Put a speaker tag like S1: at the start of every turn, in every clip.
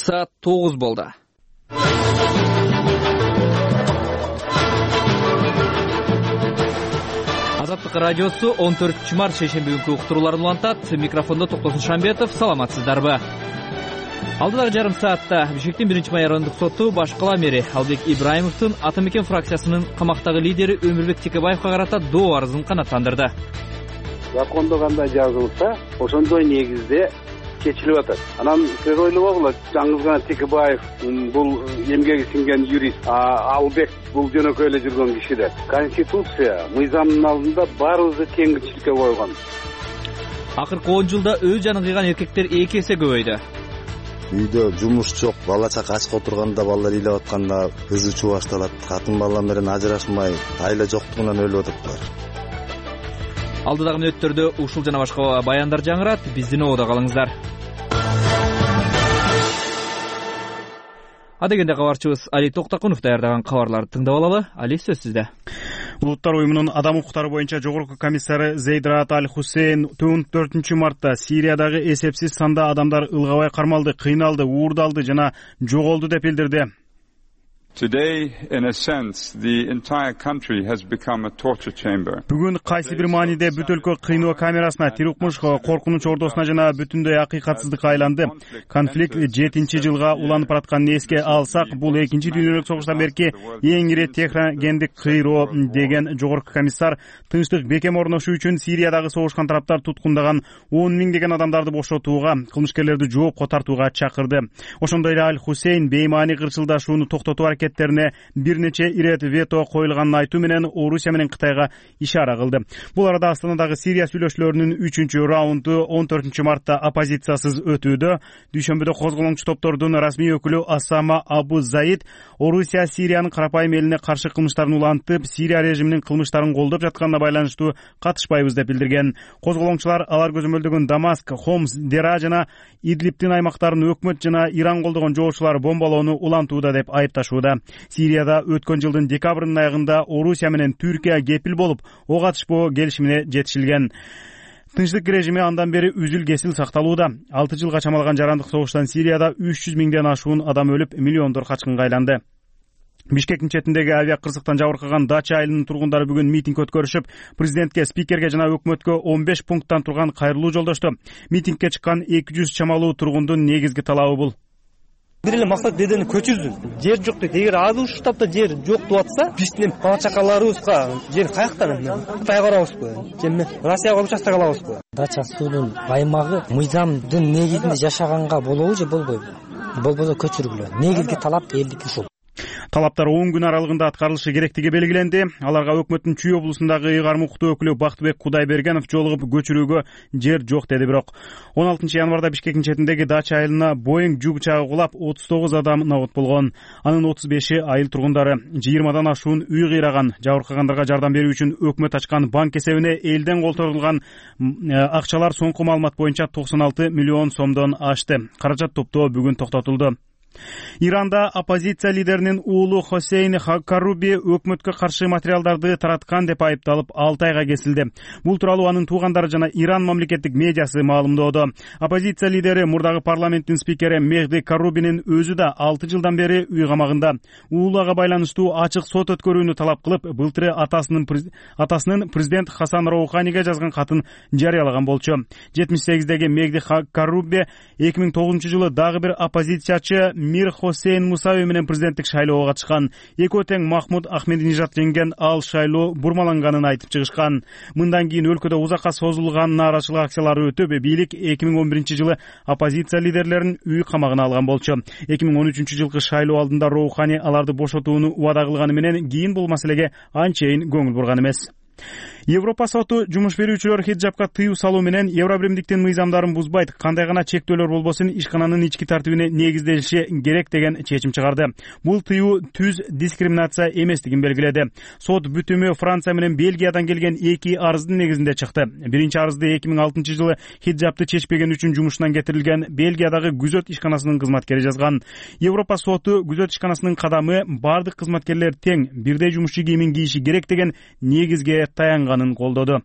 S1: Saat 9 boldu. Азаттык радиосу 14-март шейшемби күнкү уктурууларын улантат. Микрофондо Токтосун Шамбетов. Саламатсыздарбы? Алдыдагы жарым саатта Бишкектин 1-май райондук соту баш кала мэри Албек Ибраимовдун Ата Мекен фракциясынын камактагы лидери Өмүрбек Текебаевга карата доо арызын канааттандырды.
S2: Закондо кандай жазылса, ошондой негизде чечилип атат. Анан сиз ойлобогула, жаңыз гана Текебаев бул эмгеги сиңген юрист, Албек бул жөнөкөй эле жүргөн киши да. Конституция мыйзамдын алдында баарыбызды теңирчиликке койгон.
S1: Акыркы 10 жылда өз жанын кыйган эркектер 2 эсе көбөйдү.
S3: Үйдө жумуш жок, бала чака ачка отурганда, балдар ыйлап атканда кызы чубашталат, катын бала менен ажырашмай, айла жоктугунан өлүп атыптыр.
S1: Алдыдагы мүнөттөрдө ушул жана башка баяндар жаңырат. Биздин ободо калыңыздар. Адегенде кабарчыбыз Али Токтакунов даярдаган кабарларды тыңдап алалы. Али, сөз сизде.
S4: Улуттар уюмунун адам укуктары боюнча жогорку комиссары Зейд Раат Аль-Хусейн 4-мартта Сириядагы эсепсиз санда адамдар ылгабай кармалды, кыйналды, уурдалды жана жоголду деп билдирди.
S5: Today, in a sense, the entire country has become a torture chamber.
S4: Бүгүн кайсы бир мааниде бүт өлкө кыйноо камерасына, тирукмуш коркунуч ордосуна жана бүтүндөй акыйкатсыздыкка айланды. Конфликт 7-жылга уланып баратканын эске алсак, бул 2-дүйнөлүк согуштан берки эң ири техногендик кыйроо деген жогорку комиссар тынчтык бекем орношу үчүн Сириядагы согушкан тараптар туткундаган 10 миңдеген адамдарды бошотууга, кылмышкерлерди жоопко тартууга чакырды. Ошондой эле Аль-Хусейн беймаани кырчылдашууну токтотуу аракеттерине бир нече ирет вето коюлганын айтуу менен Орусия менен Кытайга ишара кылды. Бул арада Астанадагы Сирия сүйлөшүүлөрүнүн 3-раунду 14-мартта оппозициясыз өтүүдө. Дүйшөмбүдө козголоңчу топтордун расмий өкүлү Асама Абу Заид Орусия Сириянын карапайым элине каршы кылмыштарын улантып, Сирия режиминин кылмыштарын колдоп жатканына байланыштуу катышпайбыз деп билдирген. Козголоңчулар алар көзөмөлдөгөн Дамаск, Хомс, Дера жана Идлибтин аймактарын өкмөт жана Иран колдогон жоочулар бомбалоону улантууда деп айыпташууда. Сирияда өткөн жылдын декабрынын аягында Орусия менен Түркия кепил болуп, ок атышпоо келишимине жетишилген. Тынчтык режими андан бери үзүл-кесил сакталууда. 6 жылга чамалган жарандык согуштан Сирияда 300 миңден ашуун адам өлүп, миллиондор качкынга айланды. Бишкектин четиндеги авиа кырсыктан жабыркаган Дача айылынын тургундары бүгүн митинг өткөрүшүп, президентке, спикерге жана өкмөткө 15 пункттан турган кайрылуу жолдошту. Митингге чыккан 200 чамалуу тургундун негизги талабы бул.
S6: Бир эле максат дедени көчүрдү. Жер жок дейт. Эгер азыр ушул таапта жер жок деп атса, биздин бала чакаларыбызга жер каяктан? Кытайга барабызбы? Же Россияга участок алабызбы?
S7: Дача суудун аймагы мыйзамдын негизинде жашаганга болобу же болбойбу? Болбосо көчүргүлө. Негизги талап элдики ушул.
S4: Талаптар 10 күн аралыгында аткарылышы керектиги белгиленди. Аларга өкмөттүн Чүй облусундагы ыйгарым укуктуу өкүлү Бактыбек Кудайбергенов жолугуп көчүрүүгө жер жок деди. Бирок 16 январда Бишкектин четиндеги Дача айылына Боeing жүк учагы кулап 39 адам набыт болгон. Анын 35-и айыл тургундары. 20дан ашуун үй кыйраган. Жабыркагандарга жардам берүү үчүн өкмөт ачкан банк эсебине элден колтурулган акчалар соңку маалымат боюнча 96 миллион сомдон ашты. Каражат топтоо бүгүн токтотулду. Иранда оппозиция лидеринин уулу Хосейн Карруби өкмөткө каршы материалдарды тараткан деп айыпталып 6 айга кесилди. Бул тууралуу анын туугандары жана Иран мамлекеттик медиасы маалымдоодо. Оппозиция лидери мурдагы парламенттин спикери Мехди Каррубинин өзү да 6 жылдан бери үй камагында. Уулуга байланыштуу ачык сот өткөрүүнү талап кылып, былтыры атасынын президент Хасан Роуханиге жазган катын жарыялаган болчу. 78деги Мехди Карруби 2009-жылы дагы бир оппозициячы Мир Хосейн Мусави менен президенттик шайлоого катышкан. Экөө тең Махмуд Ахмединежад жеңген ал шайлоо бурмаланганын айтып чыгышкан. Мындан кийин өлкөдө узакка созулган нааразычылык акциялары өтүп, бийлик 2011-жылы оппозиция лидерлерин үй камагына алган болчу. 2013-жылкы шайлоо алдында Роухани аларды бошотууну убада кылганы менен кийин бул маселеге анчейин көңүл бурган эмес. Европа соту жумуш берүүчүлөр хиджабка тыюу салуу менен Евробиримдиктин мыйзамдарын бузбайт, кандай гана чектөөлөр болбосун ишкананын ички тартибине негизделиши керек деген чечим чыгарды. Бул тыюу түз дискриминация эместигин белгиледи. Сот бүтүмү Франция менен Бельгиядан келген 2 арыздын негизинде чыкты. Биринчи арызды 2006-жылы хиджабты чечпеген үчүн жумушунан кетирилген Бельгиядагы күзөт ишканасынын кызматкери жазган. Европа соту күзөт ишканасынын кадамы бардык кызматкерлер тең бирдей жумушчу кийимин кийиши керек деген негизге таянганын алынганын колдоду.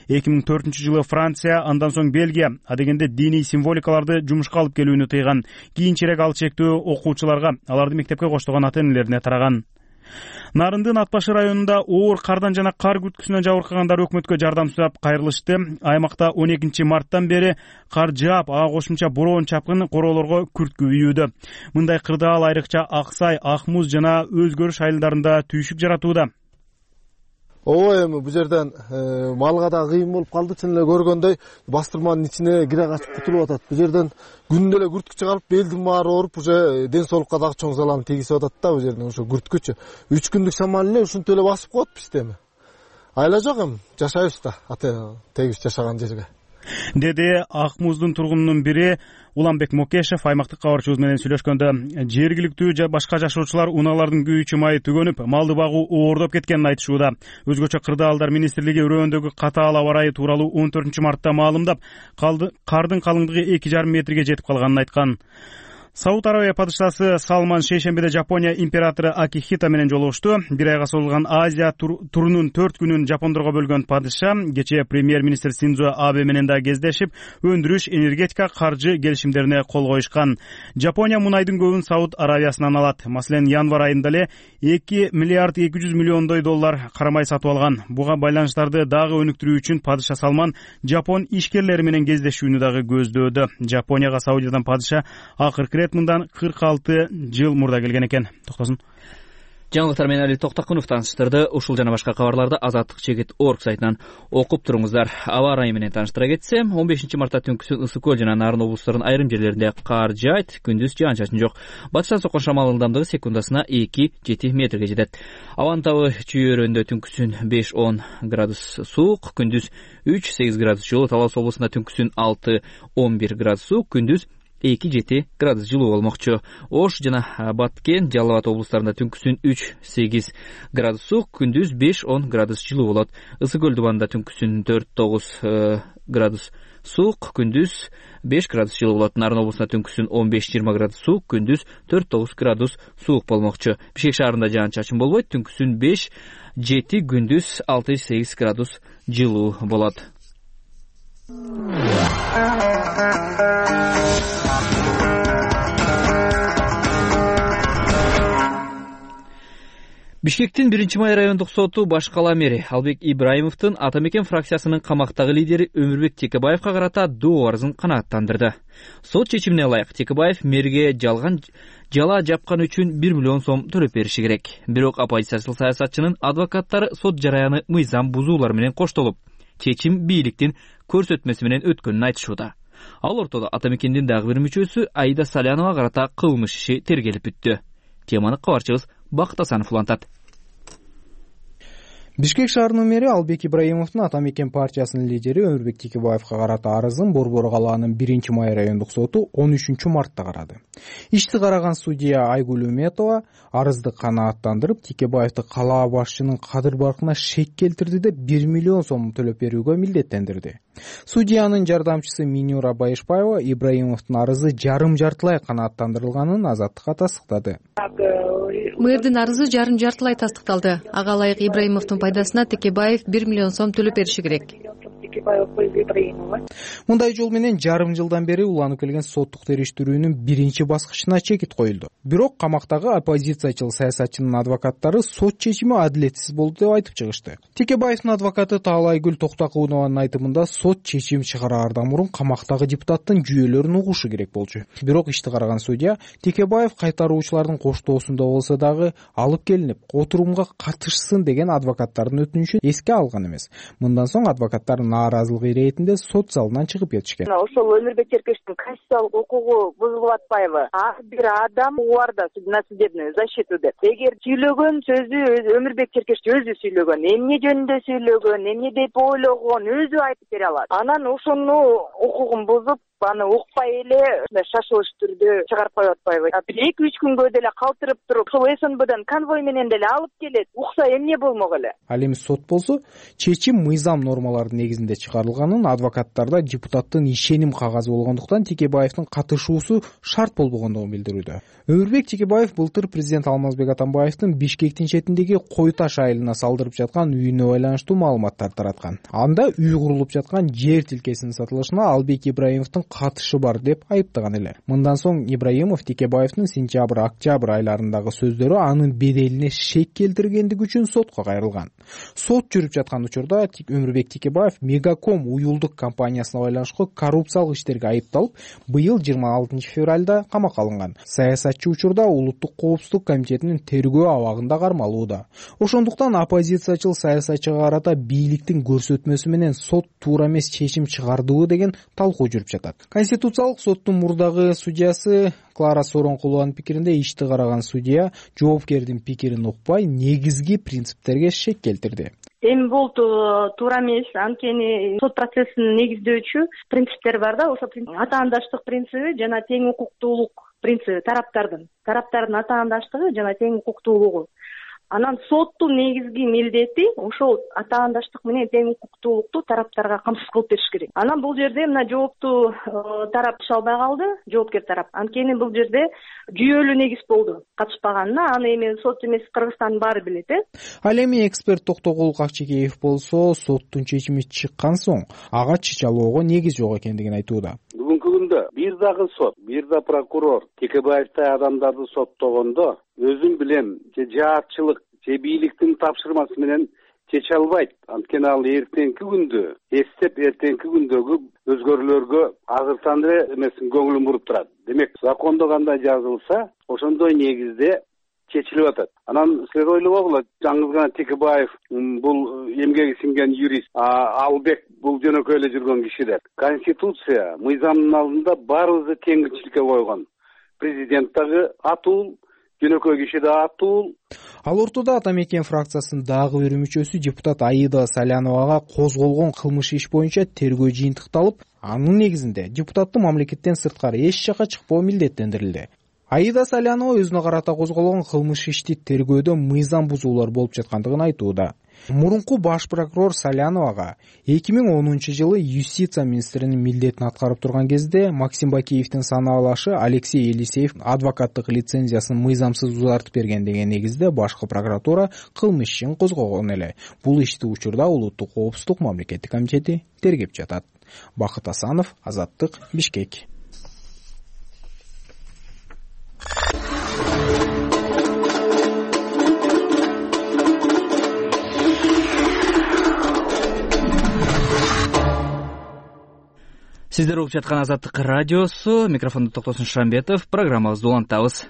S4: 2004-жылы Франция, андан соң Бельгия адегенде диний символикаларды жумушка алып келүүнү тыйган. Кийинчерээк ал чектөө окуучуларга, аларды мектепке коштогон ата-энелерине тараган. Нарындын Ат башы районунда оор кардан жана кар күрткүсүнөн жабыркагандар өкмөткө жардам сурап кайрылышты. Аймакта 12 марттан бери кар жаап, ага кошумча бороон чапкын короолорго күрткү үйүүдө. Мындай кырдаал айрыкча Аксай, Ак Муз жана Өзгөрүш айылдарында түйшүк жаратууда.
S8: Ооба, эми бул жерден малга да кыйын болуп калды. Чын эле көргөндөй бастырманын ичине кире качып кутулуп атат. Бул жерден күндө эле күрткү чыгарып, белдин баары ооруп, уже ден соолукка дагы чоң залал тийгизип атат да. Бул жерден ошо күрткүчү 3 күндүк шамал эле ушинтип эле басып коет бизди эми. Айла жок эми, жашайбыз да, тегиз жашаган жерге.
S4: Деди Ак Муздун тургунунун бири Уланбек Мокешев аймактык кабарчыбыз менен сүйлөшкөндө. Жергиликтүү башка жашоочулар унаалардын күйүүчү майы түгөнүп, малды багуу оордоп кеткенин айтышууда. Өзгөчө Кырдаалдар министрлиги өрөөндөгү катаал аба ырайы тууралуу 14 мартта маалымдап, кардын калыңдыгы 2,5 метрге жетип калганын айткан. Сауд Арабия падышасы Салман шейшембиде Жапония императору Акихито менен жолугушту. Бир айга созулган Азия турунун 4 күнүн жапондорго бөлгөн падыша кечээ премьер-министр Синдзо Абе менен да кездешип, өндүрүш, энергетика, каржы келишимдерине кол коюшкан. Жапония мунайдын көбүн Сауд Аравиясынан алат. Маселен, январь айында эле 2 миллиард 200 миллиондой доллар карамай сатып алган. Буга байланыштарды дагы өнүктүрүү үчүн падыша Салман жапон ишкерлери менен кездешүүнү дагы көздөөдө. Жапонияга Саудиядан падыша акыркы мындан 46 жыл мурда келген экен. Токтосун.
S1: Жаңылыктар менен Али Токтакунов тааныштырды. Ушул жана башка кабарларды Азаттык-Чекит.org сайтынан окуп туруңуздар. Аба ырайы менен тааныштыра кетсем, 15 мартта түнкүсүн Ысык көл жана Нарын облустарынын айрым жерлеринде кар жаайт, күндүз жаан-чачын жок. Батыштан соккон шамалдын ылдамдыгы секундасына 2-7 метрге жетет. Абанын табы чүйөрөндө түнкүсүн 5-10 градус суук, күндүз 3-8 градус жылуу. Талас облусунда түнкүсүн 6-11 градус суук, күндүз 2-7 градус жылуу болмокчу. Ош жана Баткен, Жалал Абад облустарында түнкүсүн 3-8 градус суук, күндүз 5-10 градус жылуу болот. Ысык көл дубанында түнкүсүн 4-9 градус суук, күндүз 5 градус жылуу болот. Нарын облусунда түнкүсүн 15-20 градус суук, күндүз 4-9 градус суук болмокчу. Бишкек шаарында жаан-чачын болбойт, түнкүсүн 5-7, күндүз 6-8 градус жылуу болот. Бишкектин 1-май райондук соту баш кала мэри Албек Ибраимовдун Ата Мекен фракциясынын камактагы лидери Өмүрбек Текебаевга карата доо арызын канааттандырды. Сот чечимине ылайык Текебаев мэрге жала жапкан үчүн 1 миллион сом төлөп бериши керек. Бирок оппозициялык саясатчынын адвокаттары сот жараяны мыйзам бузуулар менен коштолуп, чечим бийликтин көрсөтмөсү менен өткөнүн айтышууда. Ал ортодо Ата Мекендин дагы бир мүчөсү Аида Салянова карата кылмыш иши тергелип бүттү. Теманы кабарчыбыз Бакыт Асанов улантат.
S9: Бишкек шаарынын мэри Албек Ибраимовдун Ата Мекен партиясынын лидери Өмүрбек Текебаевга карата арызын Борбор калаанын 1-май райондук соту 13 мартта карады. Ишти караган судья Айгүл Үметова арызды канааттандырып, Текебаевди калаа башчынын кадыр баркына шек келтирди деп 1 миллион сом төлөп берүүгө милдеттендирди. Судьянын жардамчысы Минюра Байышбаева Ибраимовдун арызы жарым-жартылай канааттандырылганын Азаттыкка тастыктады.
S10: Мэрдин арызы жарым-жартылай тастыкталды. Ага ылайык Ибраимовдун пайдасына Текебаев 1 миллион сом төлөп бериши керек.
S9: Мындай жол менен жарым жылдан бери уланып келген соттук териштирүүнүн биринчи баскычына чекит коюлду. Бирок камактагы оппозициячыл саясатчынын адвокаттары сот чечими адилетсиз болду деп айтып чыгышты. Текебаевдин адвокаты Таалайгүл Токтакунованын айтымында сот чечим чыгараардан мурун камактагы депутаттын жүйөлөрүн угушу керек болчу. Бирок ишти караган судья Текебаев кайтаруучулардын коштоосунда болсо дагы алып келинип, отурумга катышсын деген адвокаттардын өтүнүчүн эске алган эмес. Мындан соң адвокаттар нааразылык иретинде сот залынан чыгып кетишкен.
S11: Ошол Өмүрбек Теркештин конституциялык укугу бузулуп атпайбы? Ар бир адам бар да на судебную защиту деп. Эгер сүйлөгөн сөзү Өмүрбек Теркеш өзү сүйлөгөн, эмне жөнүндө сүйлөгөн, эмне деп ойлогон өзү айтып бере алат. Анан ошону укугун бузуп, аны укпай эле шашылыш түрдө чыгарып коюп атпайбы? Бир 2-3 күнгө деле калтырып туруп, ошол СНБдан конвой менен деле алып келет. Укса эмне болмок эле?
S9: Ал эми сот болсо чечим мыйзам нормаларынын негизинде чыгарылганын, адвокаттарда депутаттын ишеним кагазы болгондуктан Текебаевдин катышуусу шарт болбогондугун билдирүүдө. Өмүрбек Текебаев былтыр президент Алмазбек Атамбаевдин Бишкектин четиндеги Кой Таш айылына салдырып жаткан үйүнө байланыштуу маалыматтар тараткан. Анда үй курулуп жаткан жер тилкесинин сатылышына Албек Ибраимовдун катышы бар деп айыптаган эле. Мындан соң Ибраимов Текебаевдин сентябрь-октябрь айларындагы сөздөрү анын беделине шек келтиргендиги үчүн сотко кайрылган. Сот жүрүп жаткан учурда Өмүрбек Текебаев Мегаком уюлдук компаниясына байланыштуу коррупциялык иштерге айыпталып, быйыл 26 февралда камакка алынган. Саясатчы учурда Улуттук коопсуздук комитетинин тергөө абагында кармалууда. Ошондуктан оппозициячыл саясатчыга карата бийликтин көрсөтмөсү менен сот туура эмес чечим чыгардыбы деген талкуу жүрүп жатат. Конституциялык соттун мурдагы судьясы Клара Соронкулованын пикиринде ишти караган судья жоопкердин пикирин укпай, негизги принциптерге шек келтирди.
S12: Эми бул туура эмес, анткени сот процессин негиздөөчү принциптер бар да, ошо атаандаштык принциби жана тең укуктуулук принциби тараптардын атаандаштыгы жана тең укуктуулугу. Анан соттун негизги милдети ошол атаандаштык менен тең укуктуулукту тараптарга камсыз кылып бериш керек. Анан бул жерде мына жоопту тарап иш албай калды, жоопкер тарап. Анткени бул жерде жүйөлүү негиз болду катышпаганына. Аны эми сот эмес, Кыргызстандын баары билет.
S9: Ал эми эксперт Токтогул Какчекеев болсо соттун чечими чыккан соң ага чычалоого негиз жок экендигин айтууда.
S2: Бүгүнкү күндө бир дагы сот, бир да прокурор Текебаевтай адамдарды соттогондо өзүм билем же жаатчылык же бийликтин тапшырмасы менен чече албайт. Анткени ал эртеңки күндө эстеп, эртеңки күндөгү өзгөрүүлөргө азыртан эле эмесин көңүлүн буруп турат. Демек, закондо кандай жазылса, ошондой негизде чечилип атат. Анан силер ойлобогула, жаңы гана Текебаев бул эмгеги сиңген юрист, Албек бул жөнөкөй эле жүргөн кишилер. Конституция мыйзамдын алдында баарыбызды теңирчиликке койгон. Президент дагы атуул, жөнөкөй киши да атуул.
S9: Ал ортодо Ата Мекен фракциясынын дагы бир мүчөсү депутат Аида Саляновага козголгон кылмыш иш боюнча тергөө жыйынтыкталып, анын негизинде депутаттын мамлекеттен сырткары эч жакка чыкпоо милдеттендирилди. Аида Салянова өзүнө карата козголгон кылмыш ишти тергөөдө мыйзам бузуулар болуп жаткандыгын айтууда. Мурунку баш прокурор Саляновага 2010 жылы юстиция министринин милдетин аткарып турган кезде Максим Бакиевдин санаалашы Алексей Елисеев адвокаттык лицензиясын мыйзамсыз узартып берген деген негизде башкы прокуратура кылмыш ишин козгогон эле. Бул ишти учурда Улуттук коопсуздук мамлекеттик комитети тергеп жатат. Бакыт Асанов, Азаттык, Бишкек.
S1: Сиздер угуп жаткан Азаттык радиосу, микрофондо Токтосун Шамбетов, программабызды улантабыз.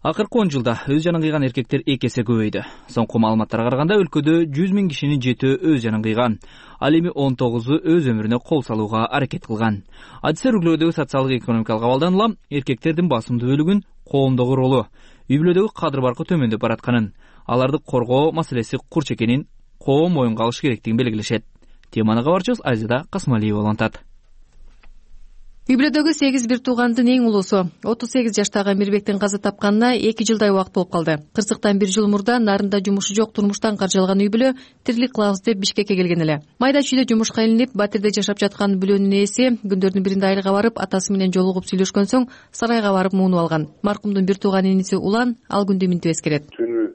S1: Акыркы 10 жылда өз жанын кыйган эркектер 2 эсе көбөйдү. Соңку маалыматтарга караганда өлкөдө 100 000 кишинин 7-өө өз жанын кыйган. Ал эми 19-у өз өмүрүнө кол салууга аракет кылган. Адистер үй-бүлөдөгү социалдык экономикалык абалдан эркектердин басымдуу бөлүгүн коомдогу ролу, үй-бүлөдөгү кадыр баркы төмөндөп баратканын, аларды коргоо маселеси курч экенин коом моюнга алыш керектигин белгилешет. Теманы кабарчыбыз Азида Касмалиева улантат.
S10: Үй-бүлөдөгү 8 бир туугандын эң улуусу 38 жаштагы Мирбектин каза тапканына 2 жылдай убакыт болуп калды. Кырсыктан 1 жыл мурда нарында жумушу жок турмуштан каржалган үй-бүлө тирилик кылабыз деп Бишкекке келген эле. Майда чүйдө жумушка илинип, батирде жашап жаткан бүлөнүн ээси күндөрдүн биринде айылга барып, атасы менен жолугуп сүйлөшкөн соң сарайга барып муунуп алган. Маркумдун бир тууган иниси Улан ал күндү минтип эскерет.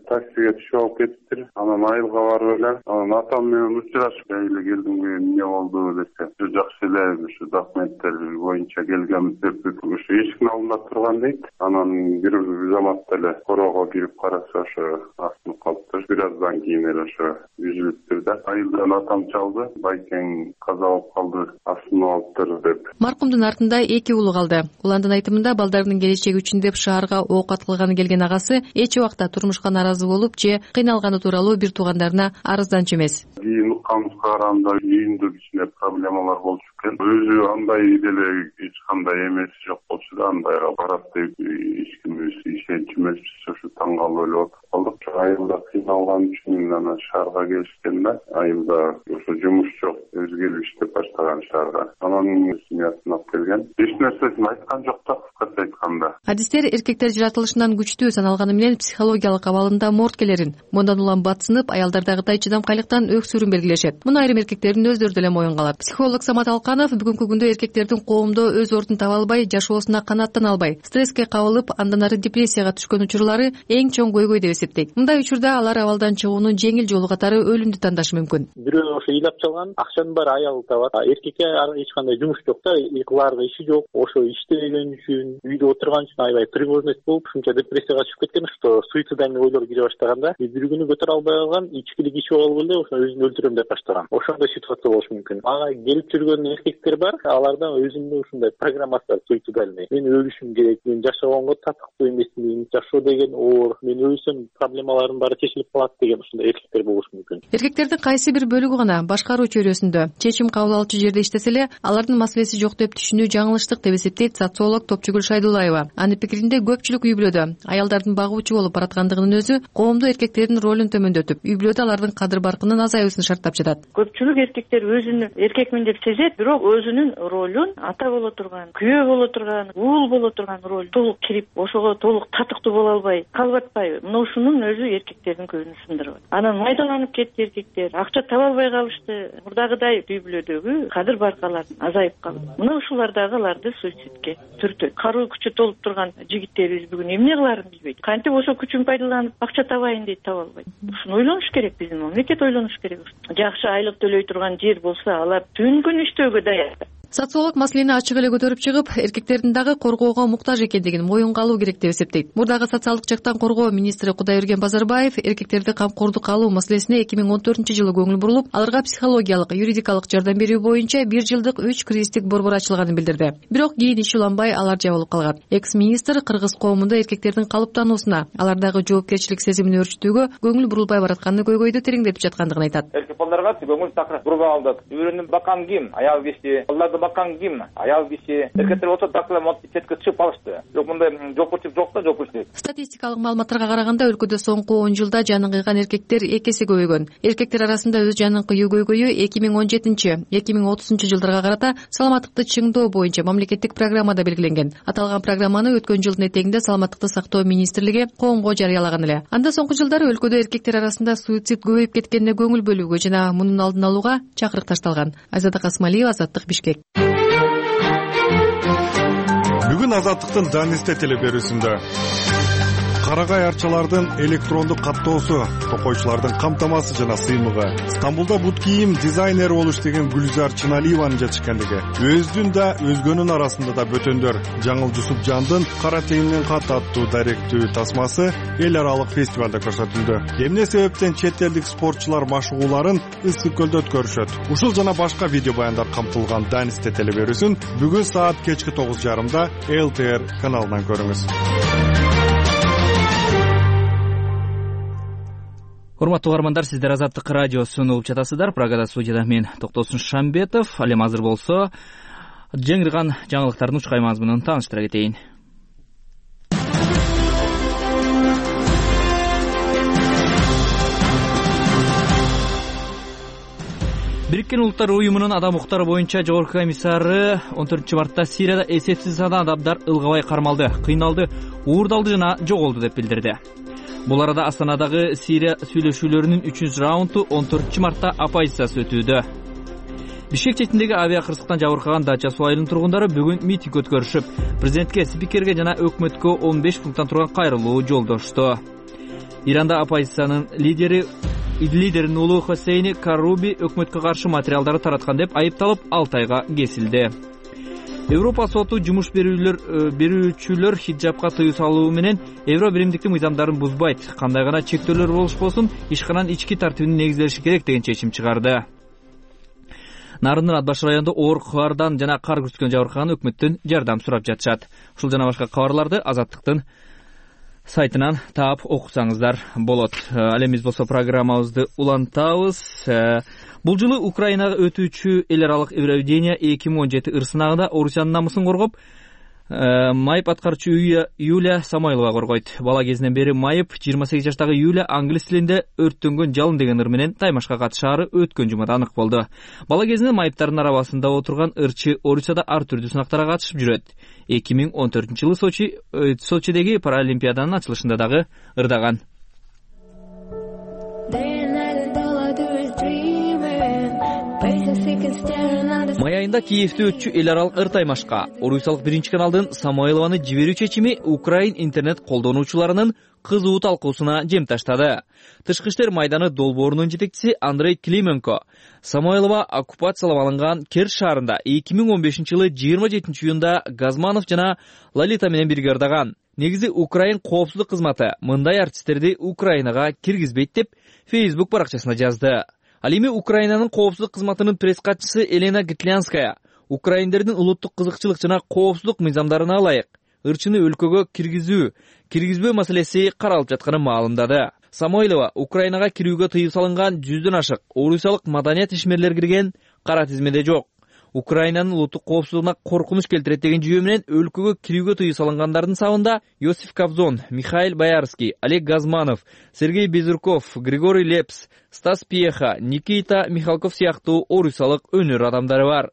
S13: Таксиге түшүп алып кетиптир. Анан айылга барып эле, анан атам менен учурашып эле келдим, эмне болду десе, жакшы эле ушу документтер боюнча келгенбиз деп ушу эшиктин алдында турган дейт. Анан бир заматта эле короого кирип караса ошо асынып калыптыр. Бир аздан кийин эле ошо үзүлүптүр да. Айылдан атам чалды, байкең каза болуп калды, асынып алыптыр деп.
S10: Маркумдун артында 2 уулу калды. Уландын айтымында балдарынын келечеги үчүн деп шаарга оокат кылганы келген агасы эч убакта турмушка наразы болуп же кыйналганы тууралуу бир туугандарына арызданчу эмес.
S13: Кийин укканыбызга караганда үйүндө кичине проблемалар болчу экен. Өзү андай деле эч кандай эмеси жок болчу да, андайга барат деп эч ким ишенчү эмеспиз. Ошо таң калып эле отуруп калдык. Айылда кыйналып алган үчүн анан шаарга келишкен да. Айылда ошо жумуш жок, өзгөрүп иштеп баштаган шаарга. Анан семьясын алып келген. Эч нерсесин айткан жок да, кыскача айтканда.
S10: Адистер эркектер жаратылышынан күчтүү саналганы менен психологиялык абалында морткелерин, мындан улам батсынып, аялдардагыдай чыдамкайлыктан өксүрүүн белгилешет. Муну айрым эркектердин өздөрү деле моюнга алат. Психолог Самат Алканов бүгүнкү күндө эркектердин коомдо өз ордун таба албай, жашоосуна канааттана албай, стресске кабылып, андан ары депрессияга түшкөн учурлары эң чоң көйгөй деп эсептейт. Мындай учурда алар абалдан чыгуунун жеңил жолу катары өлүмдү тандашы мүмкүн.
S14: Бирөө ошо ыйлап чалган, акчанын баары аялы табат. Эркекке эч кандай жумуш жок да, кылаарга иши жок. Ошо иштебеген үчүн, үйдө отурган үчүн аябай тревожность болуп, ушунча депрессияга түшүп кеткен, что суицидальный ойлор кире баштаганда, бир күнү көтөрө албай калган, ичкилик ичип алып эле ошо өзүн өлтүрөм деп баштаган. Ошондой ситуация болушу мүмкүн. Ага келип жүргөн эркектер бар, аларда өзүнүн ушундай программасы бар, суицидальный. Мен өлүшүм керек, мен жашагонго татыктуу эмесмин, жашоо деген оор, мен өлсөм проблемаларым баары чечилип калат деген ушундай эркектер болушу мүмкүн.
S10: Эркектердин кайсы бир бөлүгү гана башкаруу чөйрөсүндө чечим кабыл алуучу жерде иштесе эле, алардын маселеси жок деп түшүнүү жаңылыштык деп эсептейт социолог Топчугүл Шайдуллаева. Анын пикиринде көпчүлүк үй бүлөдө аялдардын багуучу болуп бараткандыгынын өзү коомдо эркектердин ролун төмөндөтүп, үй бүлөдө алардын кадыр баркынын азаюусун шарттап жатат.
S12: Көпчүлүк эркектер өзүнүн эркекмин деп сезет, бирок өзүнүн ролун ата боло турган, күйөө боло турган, уул боло турган роль толук кирип, ошого толук татыктуу боло албай, калып атпайбы? Мына ушунун өзү эркектердин көбүн сындырып атат. Анан майдаланып кетти эркектер, акча таба албай калышты. Мурдагыдай үй бүлөдөгү кадыр баркалар азайып калды. Мына ушулар дагы аларды суицидке түртөт. Каруу күчү толуп турган жигиттерибиз бүгүн эмне кылаарын билбейт. Кантип ошо күчүн пайдаланып акча табайын дейт, таба албайт. Ушуну ойлонуш керек, биздин мамлекет ойлонуш керек. Жакшы айлык төлөй турган жер болсо, алар түн күн иштөөгө даяр.
S10: Социолог маселени ачык эле көтөрүп чыгып, эркектердин дагы коргоого муктаж экендигин моюнга алуу керек деп эсептейт. Мурдагы социалдык жактан коргоо министри Кудайберген Базарбаев эркектерди камкордукка алуу маселесине 2014-жылы көңүл бурулуп, аларга психологиялык, юридикалык жардам берүү боюнча 1 жылдык 3 кризистик борбор ачылганын билдирди. Бирок кийин иш уланбай алар жабылып калган. Экс-министр кыргыз коомунда эркектердин калыптануусуна, алардагы жоопкерчилик сезимин өөрчүтүүгө көңүл бурулбай баратканы көйгөйдү тереңдетип жаткандыгын айтат.
S15: Эркек балдарга көңүл такыр буруп алдык. Үйрөнүп баккан ким? Аял киши. Балдарды баккан ким? Аял киши. Эркектер болсо дакла четке чыгып калышты. Жок, мындай жоопкерчилик жок да, жоопкерчилик.
S10: Статистикалык маалыматтарга караганда өлкөдө соңку 10 жылда жанын кыйган эркектер 2 эсе көбөйгөн. Эркектер арасында өз жанын кыюу көйгөйү 2017-2030 жылдарга карата саламаттыкты чыңдоо боюнча мамлекеттик программада белгиленген. Аталган программаны өткөн жылдын этегинде Саламаттыкты сактоо министрлиги коомго жарыялаган эле. Анда соңку жылдары өлкөдө эркектер арасында суицид көбөйүп кеткенине көңүл бөлүүгө жана мунун алдын алууга чакырык ташталган. Айзада Касмалиева, Азаттык, Бишкек.
S16: Бүгүн Азаттыктын Данисте телеберүүсүндө карагай арчалардын электрондук каттоосу, токойчулардын камтамасы жана сыймыгы, Стамбулда бут кийим дизайнери болуш деген Гүлзар Чыналиеванын жетишкендиги, өздүн да өзгөнүн арасында да бөтөндөр Жаңыл Жусупжандын Кара теңдин кат аттуу даректүү тасмасы эл аралык фестивалда көрсөтүлдү. Эмне себептен чет элдик спортчулар машыгууларын Ысык көлдө өткөрүшөт? Ушул жана башка видео баяндар камтылган Данисте телеберүүсүн бүгүн саат кечки 9:30 ЛТР каналынан көрүңүз.
S1: Урматтуу угармандар, сиздер Азаттык радиосун угуп жатасыздар. Прагада студияда мен Токтосун Шамбетов. Ал эми азыр болсо жаңырган жаңылыктардын учкай мазмунун тааныштыра кетейин. Бириккен Улуттар уюмунун адам укуктары боюнча жогорку комиссары 14-мартта Сирияда эсепсиз саны адамдар ылгабай кармалды, кыйналды, уурдалды жана жоголду деп билдирди. Бул арада Астанадагы Сирия сүйлөшүүлөрүнүн 3-раунду 14-мартта оппозициясы өтүүдө. Бишкек четиндеги авиакырсыктан жабыркаган Дача суу айылынын тургундары бүгүн митинг өткөрүшүп, президентке, спикерге жана өкмөткө 15 пункттан турган кайрылуу жолдошту. Иранда оппозициянын лидеринин уулу Хосейни Каруби өкмөткө каршы материалдарды тараткан деп айыпталып 6 айга кесилди. Европа соту жумуш берүүчүлөр хиджабка тыюу салуу менен евро биримдиктин мыйзамдарын бузбайт, кандай гана чектөөлөр болушпосун ишкананын ички тартибине негизделиши керек деген чечим чыгарды. Нарындын Атбаш районунда оор каардан жана кар күрткөн жабыркаган өкмөттөн жардам сурап жатышат. Ушул жана башка кабарларды Азаттыктын сайтынан таап окусаңыздар болот. Ал эми биз болсо программабызды улантабыз. Бул жылы Украинага өтүүчү эл аралык Евровидение 2017 ыр сынагында Орусиянын намысын коргоп, майып аткаруучу Юлия Самойлова коргойт. Бала кезинен бери майып 28 жаштагы Юлия англис тилинде өрттөнгөн жалын деген ыр менен таймашка катышаары өткөн жумада анык болду. Бала кезинен майыптардын арабасында отурган ырчы Орусияда ар түрдүү сынактарга катышып жүрөт. 2014-жылы Сочидеги Паралимпиаданын ачылышында дагы ырдаган. Май айында Киевде өтчү эл аралык ыр таймашка Орусиялык 1-каналдын Самойлованы жиберүү чечими Украин интернет колдонуучуларынын кызуу талкуусуна жем таштады. Тышкы иштер майданы долбоорунун жетекчиси Андрей Клименко Самойлова оккупациялап алынган Керч шаарында 2015-жылы 27-июнда Газманов жана Лолита менен бирге ырдаган. Негизи Украин коопсуздук кызматы мындай артисттерди Украинага киргизбейт деп Facebook баракчасына жазды. Ал эми Украинанын коопсуздук кызматынын пресс катчысы Елена Гитлянская украиндердин улуттук кызыкчылык жана коопсуздук мыйзамдарына ылайык ырчыны өлкөгө киргизбөө маселеси каралып жатканын маалымдады. Самойлова Украинага кирүүгө тыюу салынган 100дөн ашык орусиялык маданият ишмерлер кирген кара тизмеде жок. Украинанын улуттук коопсуздугуна коркунуч келтирет деген жүйө менен өлкөгө кирүүгө тыюу салынгандардын сабында Йосиф Кобзон, Михаил Боярский, Олег Газманов, Сергей Безруков, Григорий Лепс, Стас Пьеха, Никита Михалков сыяктуу орусиялык өнөр адамдары бар.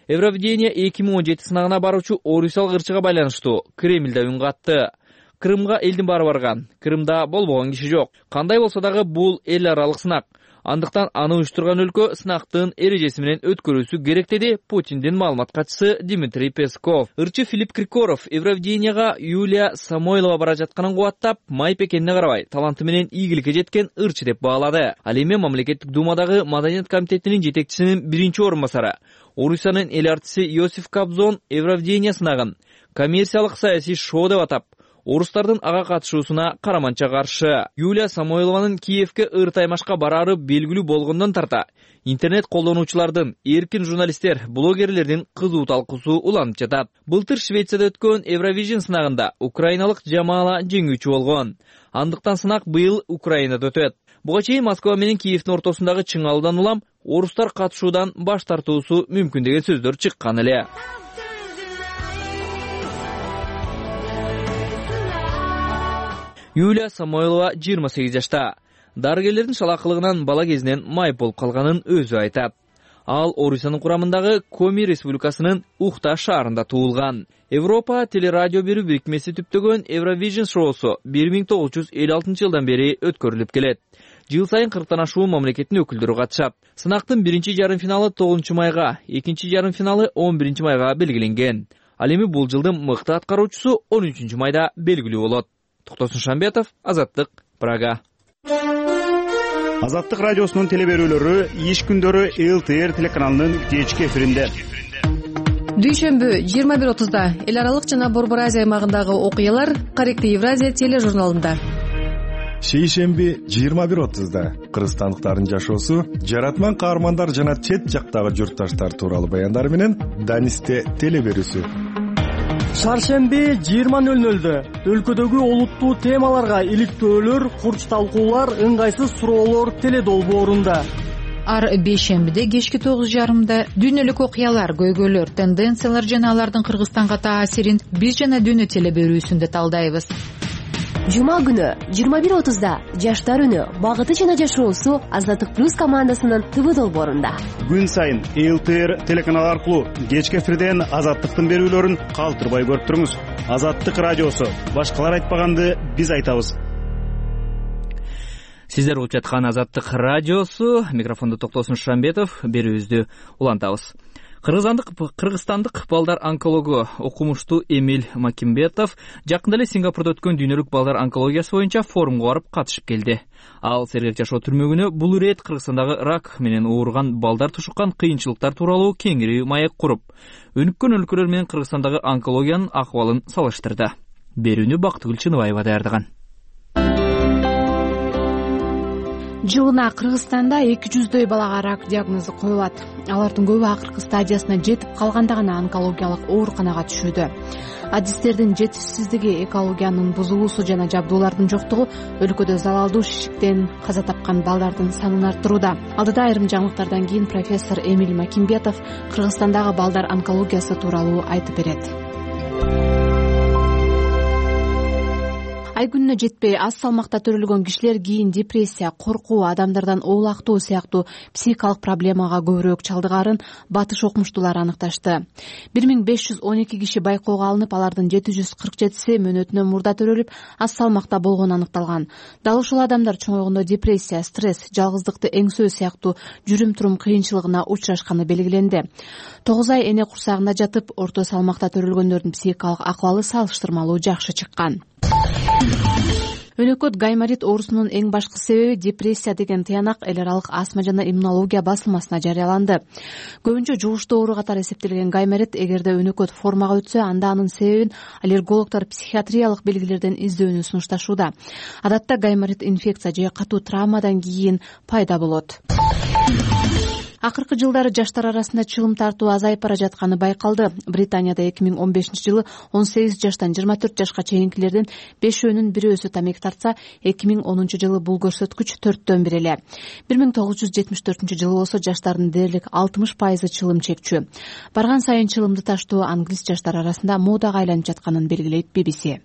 S1: Евровидение 2017 сынагына баруучу орусиялык ырчыга байланыштуу Кремльде үн катты. Крымга элдин баары барган, Крымда болбогон киши жок. Кандай болсо дагы бул эл аралык сынак. Андыктан аны уюштурган өлкө сынактын эрежеси менен өткөрүүсү керек деди Путиндин маалымат катчысы Дмитрий Песков. Ырчы Филипп Киркоров Евровиденияга Юлия Самойлова бара жатканын кубаттап, майып экенине карабай, таланты менен ийгиликке жеткен ырчы деп баалады. Ал эми мамлекеттик думадагы маданият комитетинин жетекчисинин 1-орун басары Орусиянын эл артисти Йосиф Кобзон Евровидение сынагын коммерциялык саясий шоу деп атап, орустардын ага катышуусуна караманча каршы. Юлия Самойлованын Киевге ыр таймашка бараары белгилүү болгондон тарта интернет колдонуучулардын, эркин журналисттер, блогерлердин кызуу талкуусу уланып жатат. Былтыр Швецияда өткөн Евровижн сынагында украиналык Жамала жеңүүчү болгон. Андыктан сынак быйыл Украинада өтөт. Буга чейин Москва менен Киевдин ортосундагы чыңалуудан улам орустар катышуудан баш тартуусу мүмкүн деген сөздөр чыккан эле. Юлия Самойлова 28 жашта. Дарыгерлердин шалакылыгынан бала кезинен майып болуп калганын өзү айтат. Ал Орусиянын курамындагы Коми Республикасынын Ухта шаарында туулган. Европа телерадио берүү бирикмеси түптөгөн Евровижн шоусу 1956-жылдан бери өткөрүлүп келет. Жыл сайын 40тан ашуун мамлекеттин өкүлдөрү катышат. Сынактын 1-жарым финалы 9 майга, 2-жарым финалы 11 майга белгиленген. Ал эми бул жылдын мыкты аткаруучусу 13 майда белгилүү болот. Токтосун Шамбетов, Азаттык, Прага.
S4: Азаттык радиосунун телеберүүлөрү иш күндөрү ЛТР телеканалынын кечки эфиринде.
S10: Дүйшөмбү 21:30 эл аралык жана Борбор Азия аймагындагы окуялар Корректный Евразия тележурналында.
S16: Шейшемби 21:30 кыргызстандыктардын жашоосу, жаратман каармандар жана чет жактагы журтташтар тууралуу баяндар менен Данисте телеберүүсү.
S17: Шаршемби 20:00 өлкөдөгү олуттуу темаларга иликтөөлөр, курч талкуулар, ыңгайсыз суроолор теледолбоорунда.
S18: Ар бейшембиде кечки 9:30 дүйнөлүк окуялар, көйгөйлөр, тенденциялар жана алардын Кыргызстанга таасирин биз жана дүйнө телеберүүсүндө талдайбыз.
S19: Жума күнү 21:30 жаштар үнү, багыты жана жашоосу Азаттык плюс командасынын ТВ долбоорунда.
S4: Күн сайын ЛТР телеканалы аркылуу кечки эфирден Азаттыктын берүүлөрүн калтырбай көрүп туруңуз. Азаттык радиосу, башкалар айтпаганды биз айтабыз.
S1: Сиздер угуп жаткан Азаттык радиосу, микрофондо Токтосун Шамбетов, берүүбүздү улантабыз. Кыргызстандык балдар онкологу окумуштуу Эмиль Макимбетов жакында эле Сингапурда өткөн дүйнөлүк балдар онкологиясы боюнча форумга барып катышып келди. Ал сергек жашоо түрмөгүнө бул ирет Кыргызстандагы рак менен ооруган балдар тушуккан кыйынчылыктар тууралуу кеңири маек куруп, өнүккөн өлкөлөр менен Кыргызстандагы онкологиянын акыбалын салыштырды. Берүүнү Бактыгүл Чыныбаева даярдаган.
S20: Жылына Кыргызстанда 200дөй балага рак диагнозу коюлат. Алардын көбү акыркы стадиясына жетип калганда гана онкологиялык ооруканага түшүүдө. Адистердин жетишсиздиги, экологиянын бузулуусу жана жабдуулардын жоктугу өлкөдө залалдуу шишиктен каза тапкан балдардын санын арттырууда. Алдыда айрым жаңылыктардан кийин профессор Эмиль Макимбетов Кыргызстандагы балдар онкологиясы тууралуу айтып берет. ай күнүнө жетпей аз салмакта төрөлгөн кишилер кийин депрессия, коркуу, адамдардан оолактоо сыяктуу психикалык проблемага көбүрөөк чалдыгаарын батыш окумуштуулар аныкташты. 1512 киши байкоого алынып, алардын 747 мөөнөтүнөн мурда төрөлүп, аз салмакта болгону аныкталган. Дал ушул адамдар чоңойгондо депрессия, стресс, жалгыздыкты эңсөө сыяктуу жүрүм-турум кыйынчылыгына учурашканы белгиленди. 9 ай эне курсагында жатып, орто салмакта төрөлгөндөрдүн психикалык акыбалы салыштырмалуу жакшы чыккан. Өнөкөт гайморит оорусунун эң башкы себеби депрессия деген тыянак эл аралык астма жана иммунология басылмасына жарыяланды. Көбүнчө жугуштуу оору катары эсептелген гайморит эгерде өнөкөт формага өтсө, анда анын себебин аллергологдор психиатриялык белгилерден издөөнү сунушташууда. Адатта гайморит инфекция же катуу травмадан кийин пайда болот. Акыркы жылдары жаштар арасында чылым тартуу азайып бара жатканы байкалды. Британияда 2015-жылы 18 жаштан 24 жашка чейинкилердин 5-өнүн 1-өзү тамеки тартса, 2010-жылы бул көрсөткүч 4-төн 1 эле. 1974-жылы болсо жаштардын дээрлик 60% чылым чекчү. Барган сайын чылымды таштоо англис жаштар арасында модага айланып жатканын белгилейт BBC.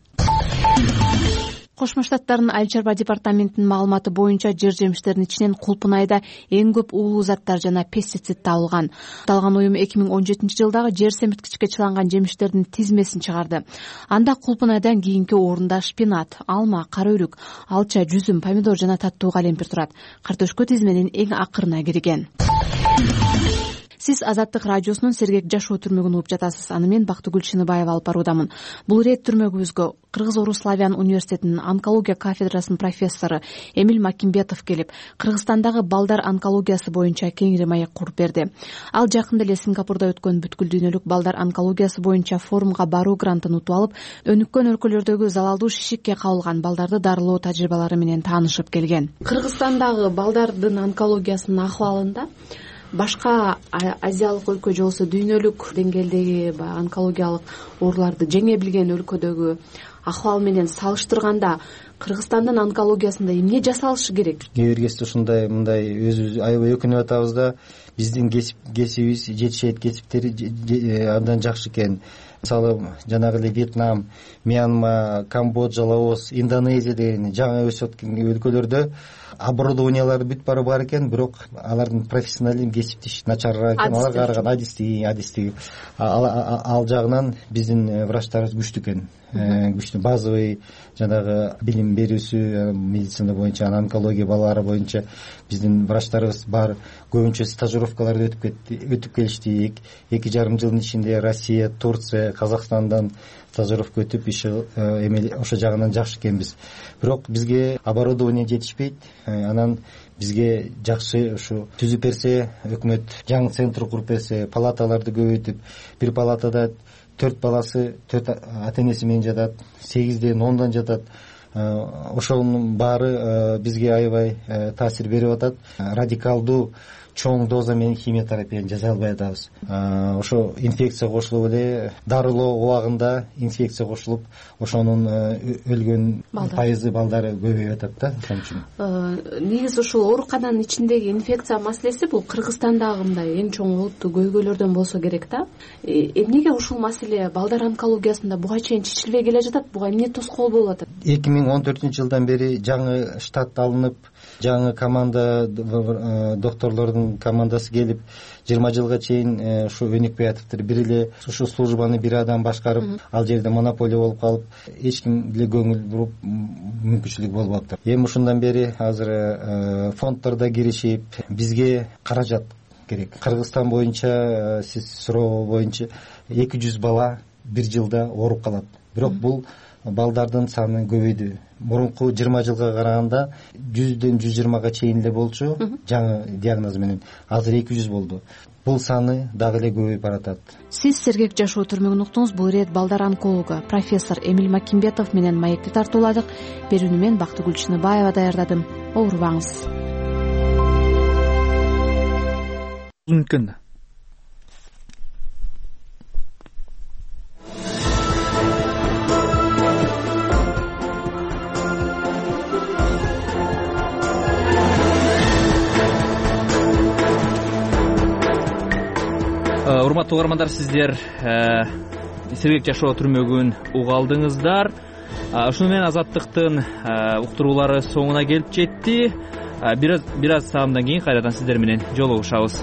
S20: Кошмо Штаттардын айыл чарба департаментинин маалыматы боюнча жер жемиштердин ичинен кулпун айда эң көп уулуу заттар жана пестицид табылган. Аталган уюм 2017-жылдагы жер семирткичке чыланган жемиштердин тизмесин чыгарды. Анда кулпун айдан кийинки орунда шпинат, алма, кара өрүк, алча, жүзүм, помидор жана таттуу калемпир турат. Картөшкө тизменин эң акырына кирген. Сиз Азаттык радиосунун Сергек жашоо түрмөгүн угуп жатасыз. Аны мен Бактыгүл Чыныбаева алып баруудамын. Бул ирет түрмөгүбүзгө Кыргыз-Орус славян университетинин онкология кафедрасынын профессору Эмиль Макимбетов келип, Кыргызстандагы балдар онкологиясы боюнча кеңири маек куруп берди. Ал жакында эле Сингапурда өткөн бүткүл дүйнөлүк балдар онкологиясы боюнча форумга баруу грантын утуп алып, өнүккөн өлкөлөрдөгү залалдуу шишикке кабылган балдарды дарылоо тажрыйбалары менен таанышып келген. Кыргызстандагы балдардын онкологиясынын акыбалында башка азиялык өлкө же болбосо дүйнөлүк деңгээлдеги баягы онкологиялык ооруларды жеңе билген өлкөдөгү акыбал менен салыштырганда Кыргызстандын онкологиясында эмне жасалышы керек? Кээ бир кезде ушундай мындай өзүбүз аябай өкүнүп атабыз да, биздин кесибибиз, жетишет кесиптери абдан жакшы экен. Мисалы, жанагы эле Вьетнам, Мьянма, Камбоджа, Лаос, Индонезия деген жаңы өсүп аткан өлкөлөрдө оборудованиялары бүт бары бар экен, бирок алардын профессионализм кесиптеш начарыраак экен, аларга караган адистиги ал жагынан биздин врачтарыбыз күчтүү экен. Күчтүү базовый жанагы билим берүүсү медицина боюнча, онкология балалары боюнча биздин врачтарыбыз бар. Көбүнчө стажировкаларды өтүп келишти. 2,5 жылдын ичинде Россия, Турция, Казакстандан стажировка өтүп ошо жагынан жакшы экенбиз. Бирок бизге оборудование жетишпейт. Анан бизге жакшы ушу түзүп берсе, өкмөт жаңы центр куруп берсе, палаталарды көбөйтүп, бир палатада 4 баласы 4 ата-энеси менен жатат, 8ден 10дан жатат. Ошонун баары бизге аябай таасир берип атат. Радикалдуу чоң доза менен химиотерапияны жасай албай атабыз. Ошо инфекция кошулуп эле дарылоо убагында инфекция кошулуп, ошонун өлгөн пайызы балдары көбөйүп атат да. Ошон үчүн негизи ушул оорукананын ичиндеги инфекция маселеси бул Кыргызстандагы мындай эң чоң олуттуу көйгөйлөрдөн болсо керек да. Эмнеге ушул маселе балдар онкологиясында буга чейин чечилбей келе жатат? Буга эмне тоскоол болуп атат? 2014-жылдан бери жаңы штат алынып, жаңы команда докторлордун командасы келип 20 жылга чейин ушу өнүкпөй атыптыр. Бир эле ушу службаны бир адам башкарып, ал жерде монополия болуп калып, эч ким деле көңүл буруп мүмкүнчүлүк болуп атты. Эми ушундан бери азыр фонддордо киришип, бизге каражат керек. Кыргызстан боюнча сиз суроо боюнча 200 бала бир жылда ооруп калат. Бирок бул балдардын саны көбөйдү. Мурунку 20 жылга караганда 100ден 120га чейин эле болчу жаңы диагноз менен. Азыр 200 болду. Бул саны дагы эле көбөйүп баратат. Сиз Сергек жашоо түрмөгүн уктуңуз. Бул ирет балдар онкологу профессор Эмиль Макимбетов менен маекти тартууладык. Берүүнү мен Бактыгүл Чыныбаева даярдадым. Оорубаңыз.
S1: Мүмкүн. Урматтуу угармандар, сиздер Сергек жашоо түрмөгүн уга алдыңыздар. Ушуну менен Азаттыктын уктуруулары соңуна келип жетти. Бир аз саамдан кийин кайрадан сиздер менен жолугушабыз.